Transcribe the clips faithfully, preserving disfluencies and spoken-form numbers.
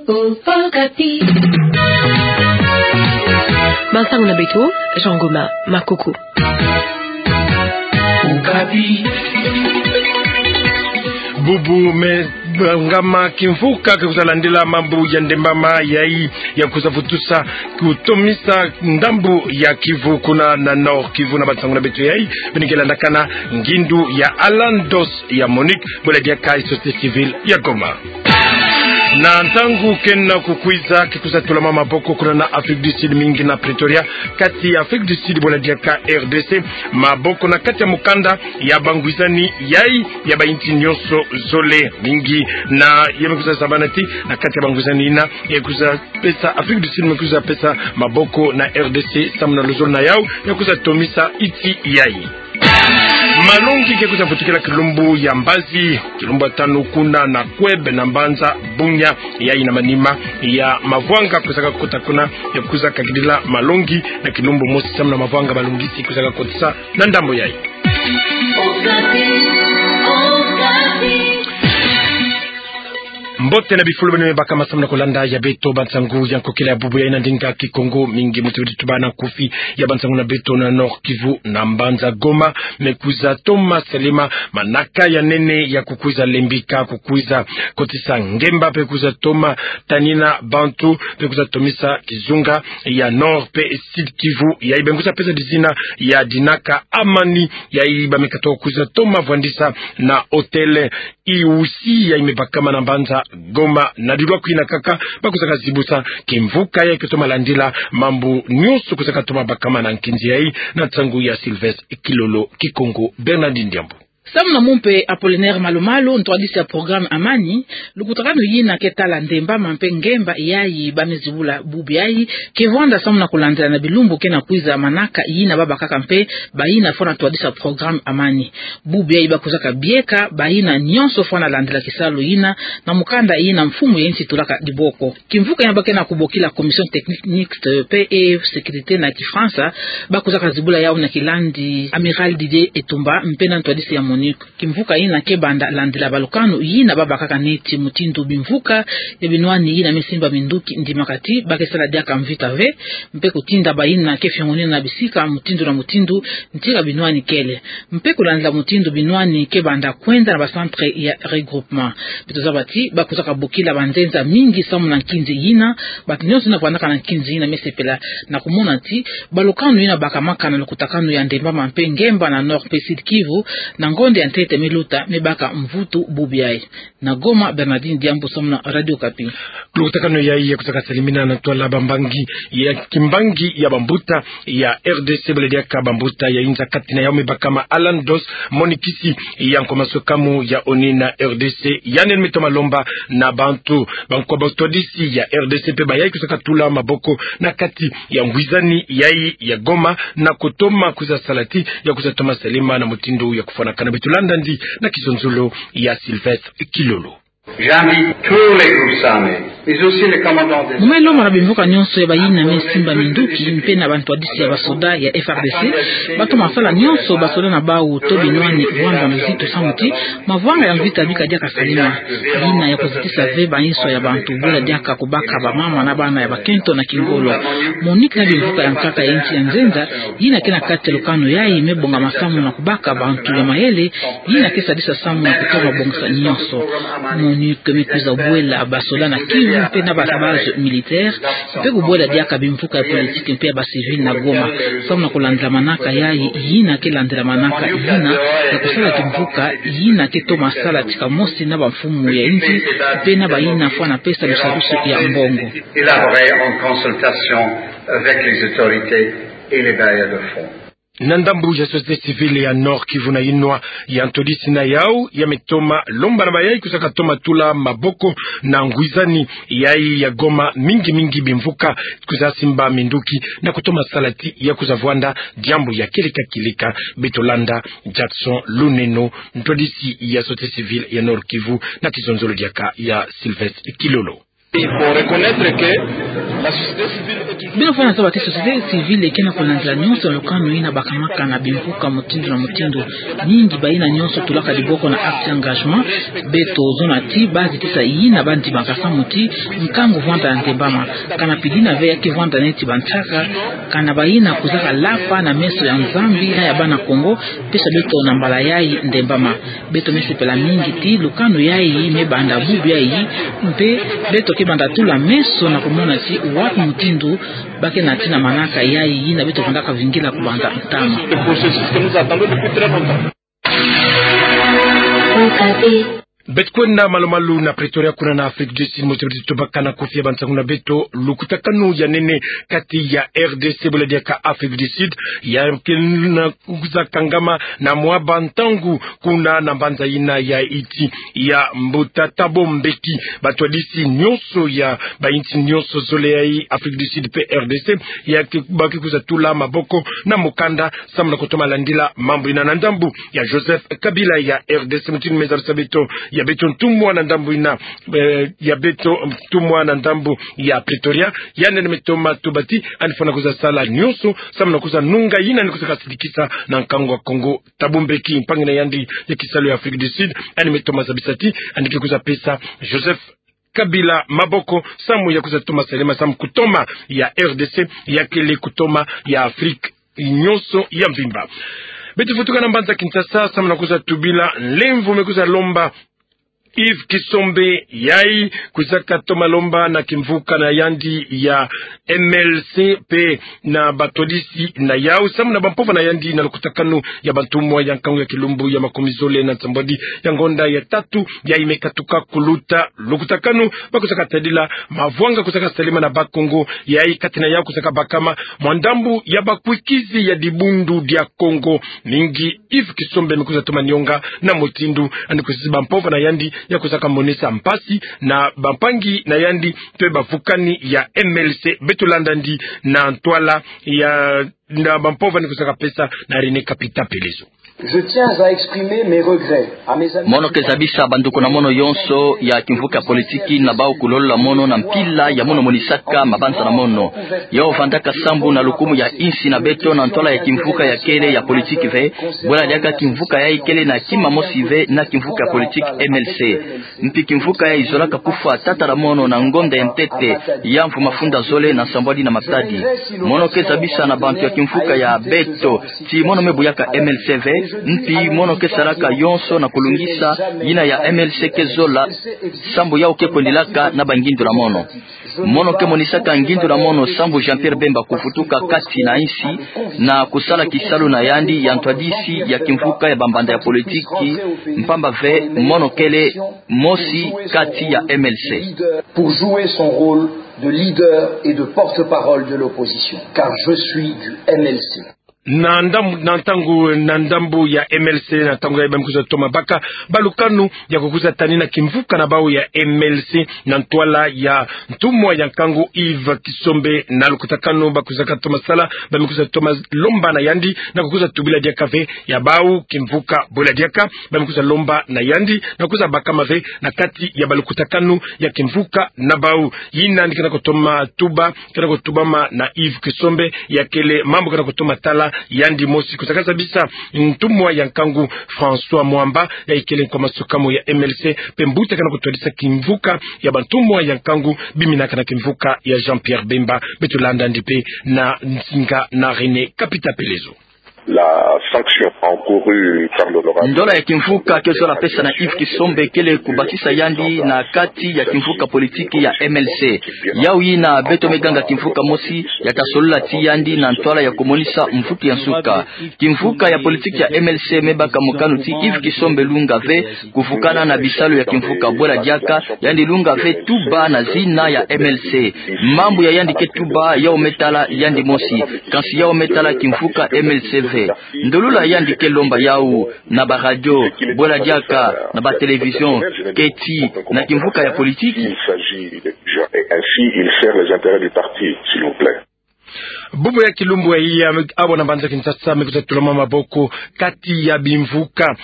Okapi. Bansangu na beto, Jean Goma Makuku. Okapi. Bubu me bangama kimvuka ke kwiza landila mambu ya ndembama yayi ya kwiza vutusa kutomisa ndambu ya Kivu kuna na Nord Kivu. Na bansangu na beto yayi beno ke landakana ngindu ya Alan Dos ya Monique, bwela diaka société civile ya Goma. Na ntangu kena kukwiza, ke kwiza tulama maboko kuna na Afrique du Sud, mingi na Pretoria, kati ya Afrique du Sud bwela diaka R D C, maboko na kati ya mukanda ya bangwizani yayi ya bayinti nyonso zole, mingi na ya me kwiza zabana ti na kati ya bangwizani yina, ya kwiza pesa Afrique du Sud me kwiza pesa maboko na R D C samu na luzolo na yau ya kwiza tomisa yinti yayi. Malongi ke kwiza vutukila kilumbu ya mbazi, kilumbu ya tanu kuna na Kouéb na mbanza Bunia, yayi na manima ya mavwanga kwizaka kota kuna, ya kwiza kakidila malongi na kilumbu mosi samu na mavwanga malongisi kwizaka kotisa na ndambo yayi. Mbote na bifulu beno me baka masamu na kolanda ya beto bansangu ya nkokila ya bubu yayi na ndinga Kikongo, mingi muti bidi tubana nkufi ya bansangu na beto na Nord Kivu na mbanza Goma me kwiza toma salama, manaka ya nene ya kukwiza lembika, kukwiza kotisa ngemba, mpe kwiza toma tanina bantu, mpe kwiza tomisa kizunga ya Nord mpe Sud Kivu, yayi beno kwiza pesa dizina ya Dinaka Amani, yayi ba me katoka kwiza toma vwandisa na hôtel Iusi yayi me bakama na mbanza Goma. Na dilwa kwina kaka ba kwizaka zibusa kimvuka yayi ke toma landila mambu nyonso kwizaka toma bakama na nkinzi yayi na nsangu ya Sylvestre Kilolo, Kikongo Bernardine Diambu. Samu na mumpe Apollinaire Malumalu, ntwadisi ya programme Amani, lukutakanu yina ke tala ndembama mpe ngemba yayi ba me zibula bubu yayi ke vwanda samu na kulandila na bilumbu kena kwiza, manaka yina ba bakaka mpe bayina fwana ntwadisi ya programme Amani. Bubu yayi ba kwizaka bieka bayina nyonso fwana landila kisalu yina na mukanda yina mfumu ya yinsi tulaka diboko. Kimvuka yina ba kena kubokila Commission Technique Mixte, P E, sécurité na Kifransa, ba kwizaka zibula yau na kilandi Amiral Didier Etumba mpe na ntwadisi ya MONUC. Kimvuka yina ke banda landila balukanu yina ba bakaka neti mutindu bimvuka ya binwani yina me simba minduki ndimaka ti ba ke sala diaka mvita ve, mpe kutinda bayina ke fiongonina na bisika mutindu na mutindu, ntika binwani kele. Mpe kulandila mutindu binwani ke banda kwenda na ba centre ya regroupement. Beto zaba ti ba kwizaka bokila banzenza mingi samu na nkinzi yina, bantu nyonso yina vwandaka na nkinzi yina me sepela na kumona ti balukanu yina bakamaka na lukutakanu ya ndembama mpe ngemba na Nord mpe Sud Kivu, na ngonde ya ntete me luta, me baka mvutu bubu yayi. Na Goma, Bernardine Diambu samu na Radio Okapi. Lukutakanu yayi ya kwizaka salimina na ntwala bambangi ya kimbangi ya bambuta ya R D C, bwela diaka bambuta ya inza, kati na yau me bakama Alan Dos Monikisi ya nkwa masukamu ya ONU na R D C, yandi me toma lomba na bantu bankwa bantwadisi ya R D C mpe bayayi kwizaka tula maboko na kati ya ngwizani yayi ya Goma na kutoma kwiza sala ti ya kwiza toma salama na mutindu ya kufwanakana. Beto landa yandi na kizonzolo ya Sylvestre Kilolo. J'invite tous les groupes armés, mais aussi les commandants des... Mu me lomba na bimvuka nyonso ya bayina me simba minduki mpe na bantwadisi ya basoda ya F R D C, ba toma sala nyonso basoda na bau to binwani vwanda na luzitu samu ti mavwanga ya mvita bika diaka salama. Yina ya kuzitisa ve bainso ya bantu, bwela diaka kubaka bamama na bana ya bakento na kingolo. MONUC na bimvuka ya nkaka ya insi ya nzenza yina ke na kati ya lukanu yayi me bonga masamu na kubaka bantu ya mayele yina ke sadisa samu na kutoma bongisa nyonso. MONUC me kwiza bwela basoda na Kivu mpe na ba base militaire, mpe kubwela diaka bimvuka ya politique mpe ya ba civil na Goma, samu na kulandila manaka yayi yina ke landila manaka yina ya kusala kimvuka yina ke toma sala tika mosi na bamfumu ya insi mpe na bayina fwana pesa lusadusu ya mbongo. Élaboré en consultation avec les autorités et les bailleurs de fonds. Na ndambu ya société civile ya Nord-Kivu na yinwa ya ntwadisi na yau ya me toma lomba na bayayi kwiza katoma tula maboko na ngwizani yayi ya Goma, mingi mingi bimvuka kwiza simba minduki na kutoma sala ti ya kwiza vwanda diambu ya kieleka kieleka. Beto landa Jackson Luneno, ntwadisi ya société civile ya Nord-Kivu, na kizonzolo diaka ya Sylvestre Kilolo. Il faut reconnaître que la société civile est toujours... Beno fana zaba ti société civile eke na kulandila nyonso lukanu ina bakamaka na bimvuka mutindu na mutindu. Ningi bayina nyonso tulaka diboko na acte engagement. Beto zona ti bazi tisa yina bandimaka samu ti nkangu vwanda ndembama. Kana pidina ve ya kevwanda neti bantaka, kana bayina kuzaka lapa na meso ya Nzambi na ya bana Kongo, pesa beto na mbala yayi ndembama. Beto me sepela mingi ti lukanu yayi me banda bubu yayi, mpe beto ke banda tula meso na kumona ti wapi mutindu ba ke na tina manaka yayi yina beto vandaka vingila kubanza ntama. Beto kwenda malu-malu na Pretoria kuna na Afrique du Sud, moto beto tobaka na kofia bansangu na beto, lukutakanu ya nene kati ya R D C bula diaka Afrique du Sud, ya ke na kwiza kangama na mwa bantangu kuna na mbanza yina ya Iti ya mbuta Thabo Mbeki. Batwadisi nyonso ya bayinsi nyonso zole ya Afrique du Sud mpe R D C, ya ke, ba ke kwiza tula maboko na mukanda samu na kutoma landila mambu yina na ndambu ya Joseph Kabila ya R D C, mutindu me zabisa beto, ya beto ntumwa na ndambu yina, eh, ya beto ntumwa na ndambu ya Pretoria, yandi me toma tuba ti yandi fwana kwiza sala nyonso samu na kwiza nunga yina yandi kwiza kasidikisa na nkangu wa Kongo. Thabo Mbeki, mpangi na yandi ya kisalu ya Afrique du Sud, yandi me toma zabisa ti yandi ke kwiza pesa Joseph Kabila maboko samu ya kwiza toma salama samu kutoma ya R D C ya kele kutoma ya Afrique nyonso ya mvimba. Beto vutuka na mbanza Kinshasa samu na kwiza tubila nlemvo me kwiza lomba Yves Kisombe, yayi kwizaka toma lomba na kimvuka na yandi ya M L C mpe na batwadisi na yau samu na bampova na yandi na lukutakanu ya bantumwa ya nkangu ya kilumbu ya makumi zole na nsambwadi ya ngonda ya tatu yayi me katuka kuluta. Lukutakanu ba kwizaka tadila mavwanga kwizaka salema na Bakongo, yayi kati na yau kwizaka bakama mwa ndambu ya bakwikizi ya dibundu dia Kongo. Mingi Yves Kisombe me kwiza toma nionga na mutindu yandi kwizizi bampova na yandi ya kwizaka monisa mpasi na bampangi na yandi mpe bavukani ya M L C. Beto landa yandi na ntwala ya, na bampova yandi kwizaka pesa na René Kapita Pelezo. Je tiens à exprimer mes regrets à mes amis. Mono ke zabisa banduku na mono yonso ya kimvuka ya politiki na bau kulolola mono na mpila ya mono monisaka mabanza na mono. Yau vandaka sambu na lukumu ya insi na beto na ntwala ya kimvuka ya kele ya politiki ve. Bwela diaka kimvuka yayi kele na kima mosi ve na kimvuka ya politiki M L C. Mpi kimvuka yayi zolaka kufwa tata na mono na ngonda ya ntete ya mvu mafunda zole na nsambwadi na matadi. Mono ke zabisa na bantu ya kimvuka ya beto ti mono me buyaka M L C ve, mpi mono ke salaka yonso na kulungisa yina ya M L C ke zola, sambu yau ke kwendilaka na bangindu na mono. Mono ke monisaka ngindu na mono sambu Jean-Pierre Bemba kuvutuka kati na insi na kusala kisalu na yandi ya ntwadisi ya kimvuka ya bambanda ya politiki, mpamba ve mono kele mosi kati ya M L C. Pour jouer son rôle de leader et de porte-parole de l'opposition, car je suis du M L C. Na ndambu, na ntangu, na ndambu ya M L C, na ntangu yayi ba me kwiza toma baka balukanu ya kukwiza tanina kimvuka na bau ya M L C na ntwala ya ntumwa ya nkangu Yves Kisombe. Na lukutakanu ba kwizaka toma sala, ba me kwiza toma lomba na yandi na kukwiza tubila diaka ve ya bau kimvuka. Bwela diaka ba me kwiza lomba na yandi na kwiza bakama ve na kati ya balukutakanu ya kimvuka na bau. Yina yandi ke na kutoma tuba, ke na kutubama na Yves Kisombe, ya kele mambu ke na kutoma tala yandi mosi. Kwizaka zabisa ntumwa ya nkangu François Mwamba, yayi kele nkwa masuka mo ya M L C mpe mbuta ke na kutwadisa kimvuka ya bantumwa ya nkangu biminaka na kimvuka ya Jean-Pierre Bemba. Beto landa yandi mpe na nsinga na René Kapita Pelezo. La sanction encourue par l'honorable... Ndola ya kimvuka ke zola pesa na Yves Kisombe kele kubakisa yandi na kati ya kimvuka politiki ya M L C. Yau yina beto me ganga kimvuka mosi ya ta solola ti yandi na ntwala ya kumonisa mvutu ya nsuka. Kimvuka ya politiki ya M L C me baka mokanu ti Yves Kisombe lunga ve kuvukana na bisalu ya kimvuka. Bwela diaka yandi lunga ve tuba na zina ya M L C. Mambu ya yandi ke tuba yau me tala yandi mosi, kansi yau me tala kimvuka M L C ve. Ndolula yandi ke lomba yau na baradio, bwela diaka na batelevizion, keti na kimvuka ya politiki. Il s'agit de... Et ainsi, il sert les intérêts du parti, s'il vous plaît. Bubu ya kilumbu yayi, abo na mbanza Kinshasa me kwiza tulama maboko kati ya bimvuka,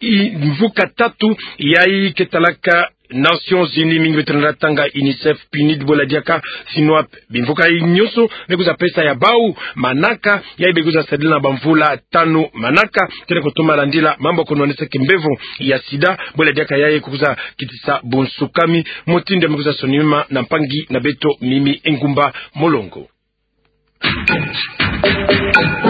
i, mvuka tatu yayi ke talaka Nations Unies, mingi beto na tanga UNICEF, PNUD, bwela diaka FINUAP, bimvuka yayi nyonso me kwiza pesa ya bau manaka, yayi be kwiza sadila na bamvula tanu manaka, tena kutoma landila mambu ya kunwanisa kimbevo ya sida, bwela diaka yayi kwiza kitisa bunsukami, mutindu ya me kwiza sonima na mpangi na beto Mimi Engumba Molongo.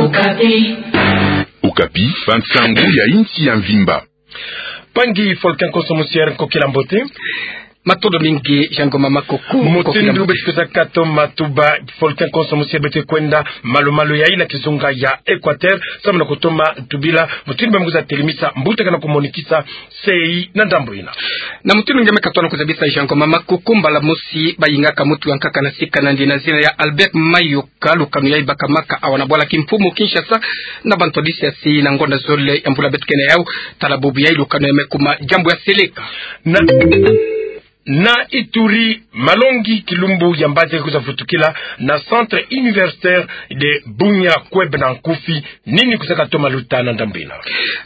Okapi. Okapi, bansangu ya insi ya mvimba. Mpangi Folkin Konso Musier, nkokila mbote. Matondo mingi, Jean Ngoma Makoko. Mutindu beto kwiza katoma tuba, Folkin Konso Musier, beto kwenda malu-malu yayi na kizunga ya Equateur, samu na kutoma tubila mutindu ba me kwiza telimisa mbuta kana kumonikisa sei na ndambu yina. Na mutindu nge me katona kuzabisa, Jean Ngoma Makoko, mbala mosi bayingaka mutu ya nkaka na sika na nge na zina ya Albert Mayoka, lukanu yayi bakamaka awa na bwala kimfumu Kinshasa na bantwadisi ya sei na ngonda zole ya mbula beto kena yawu. Tala bubu yayi, lukanu yayi me kuma diambu ya seleka. Na, na Ituri, malongi kilumbu ya mbazi kwiza vutukila na Centre Universitaire de Bunia, CUEB na nkufi. Nini kwiza katoma luta na ndambu yina?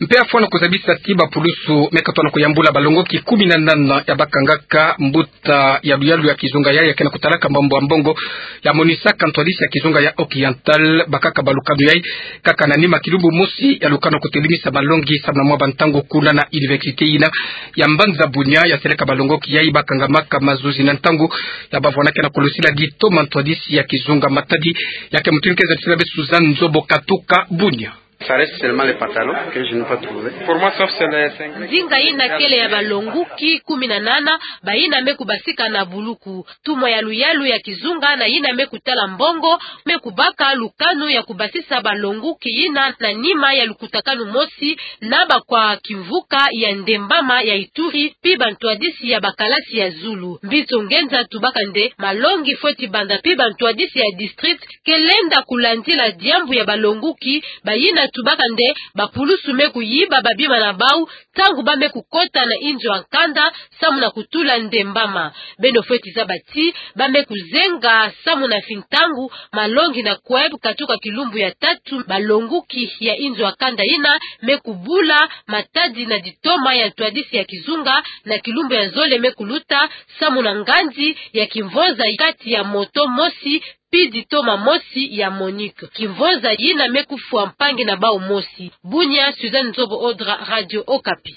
Mpe afwana kuzabisa ti bapulusu me katona kuyambula balongoki kumi na nana ya bakangaka mbuta ya luyalu ya kizunga yayi ya kena kutalaka mambu ya mbongo, ya monisaka ntwadisi ya kizunga ya Occidental, bakaka balukanu yayi kaka na nima kilumbu mosi ya lukanu kutelimisa malongi samu na mwa bantangu kuna na université yina ya mbanza Bunia, ya seleka balongoki yayi bakangamaka mazuzi na ntangu ya bavwanakena kulusila ditoma ntwadisi ya kizunga. Matadi ya ke mutindu ke zatisila be Suzanne Nzobo katuka Bunia. Ça reste seulement les pantalons que je n'ai pas trouvé. Pour moi, sauf c'est les cinq. Nzinga yina kele ya balongoki kumi na nana, bayina me kubasika na buluku. Ntumwa ya luyalu ya kizunga na yina me kutala mbongo, me kubaka lukanu ya kubasisa balongoki yina na nima ya lukutakanu mosi na bakwa kimvuka ya ndembama ya Ituri, pi bantwadisi ya bakalasi ya zulu. Mbiso ngenza tubaka nde malongi fweti banda pi bantwadisi ya district ke lenda kulandila diambu ya balongoki, bayina tubaka nde bapulusu me kuyiba babima na bawu ntangu ba me kukota na inzo ya nkanda samu na kutula ndembama. Beno fweti zaba ti ba me kuzenga samu na fintangu malongi na CUEB katuka kilumbu ya tatu, balongoki ya inzo ya nkanda yina me kubula matadi na ditoma ya ntwadisi ya kizunga, na kilumbu ya zole me kuluta samu na ngandi ya kimvonza kati ya moto mosi pi ditoma mosi ya MONUC. Kimvonza yina me kufwa mpangi na bawu mosi. Bunia, Suzanne Nzobo Odra, Radio Okapi.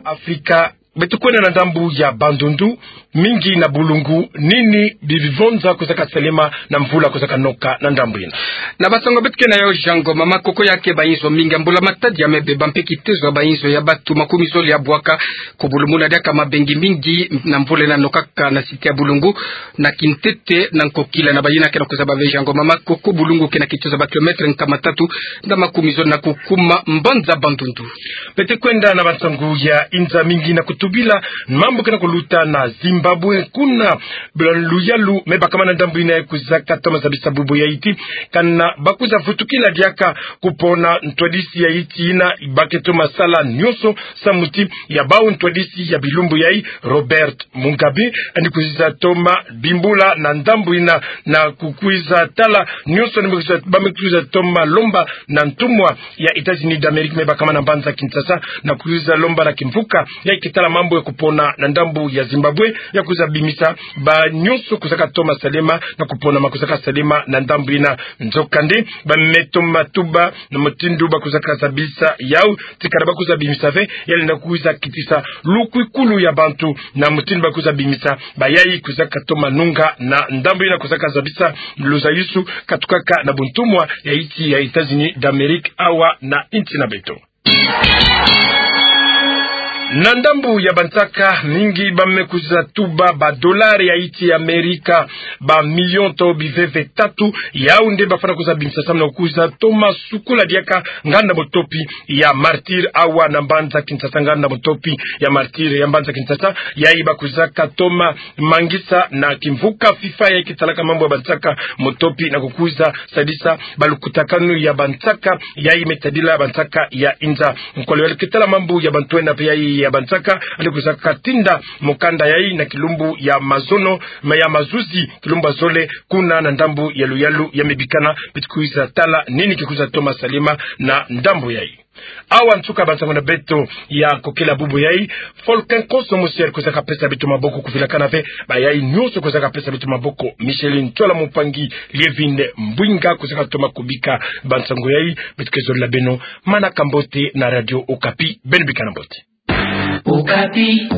Afrika, beto kwenda na ndambu ya Bandundu, mingi na bulungu, nini bivonza kwiza kasalema na mvula kwiza kanoka na ndambu yina? Na bansangu beto kena yawu, Jean Ngoma Makoko, ya ke bainzo mingi ya mbula matadi ya me beba mpe kitezo ya bainzo ya bantu makumi zole ya bwaka kubulumuna diaka mabengi mingi na mvula yina nokaka na site ya bulungu na kintete na nkokila. Na bayina kena kuzaba ve, Jean Ngoma Makoko, bulungu kena kitezo ba kilomètre nkama tatu na makumi zole na kukuma mbanza Bandundu. Beto kwenda na bansangu ya inza, mingi na kutubila mambu kena kuluta na Zimbabwe. Kuna bala luyalu me bakama na ndambu yina kwiza katoma zabisa bubu yayi ti kana ba kwiza vutukila diaka kupona ntwadisi ya insi yina, ba ke toma sala nyonso samu ti ya bawu ntwadisi ya bilumbu yayi, Robert Mugabe, yandi kwiza toma bimbula na ndambu yina, na kukwiza tala nyonso yandi me kwiza, ba me kwiza toma lomba na ntumwa ya États-Unis d'Amérique me bakama na mbanza Kinshasa, na kwiza lomba na kimvuka yayi ke tala mambu ya kupona na ndambu ya Zimbabwe ya kwiza bimisa banyonso kwiza katoma salema na kupona ma kwiza kasalema na ndambu yina. Nzokande, ba me toma tuba na mutindu ba kwiza kazabisa yawu ti kana ba kwiza bimisa ve, ya lenda kwiza kitisa lukwikulu ya bantu na mutindu ba kwiza bimisa bayayi kwiza katoma nunga na ndambu yina kwiza kazabisa luzayusu katukaka na buntumwa ya insi ya États-Unis d'Amérique awa na insi na beto. Na ndambu ya bansaka, mingi ba me kwiza tuba ba dollars ya insi ya Amerika, ba millions to biveve tatu, yawu nde ba fwana kwiza bimisa samu na kwiza toma sukula diaka nganda mutopi ya Martyrs awa na mbanza Kinshasa. Nganda mutopi ya Martyrs ya mbanza Kinshasa, yayi ba kwiza katoma mangisa na kimvuka FIFA yayi ke talaka mambu ya bansaka mutopi na kukwiza sadisa balukutakanu ya bansaka yayi me tadila bansaka ya inza. Nkolo yayi ke tala mambu ya bantwenia mpe yayi ya bansaka, yandi kwiza katinda mukanda yayi na kilumbu ya mazono, ma ya mazuzi, kilumbu ya zole, kuna na ndambu ya luyalu ya me bikana. Beto kwiza tala nini ke kwiza toma salema na ndambu yayi. Awa nsuka bansango na beto ya kokela bubu yai. Folken Koso Mosier kwizaka pesa beto maboko, kuvilakana ve bayai nyonso kwizaka pesa beto maboko. Micheline Tsola Mumpangi, Lievine Mbwinga kwizaka toma kubika bansango yai. Beto ke zolila beno manaka mbote na Radio Okapi. Beno bikana mbote. Okapi.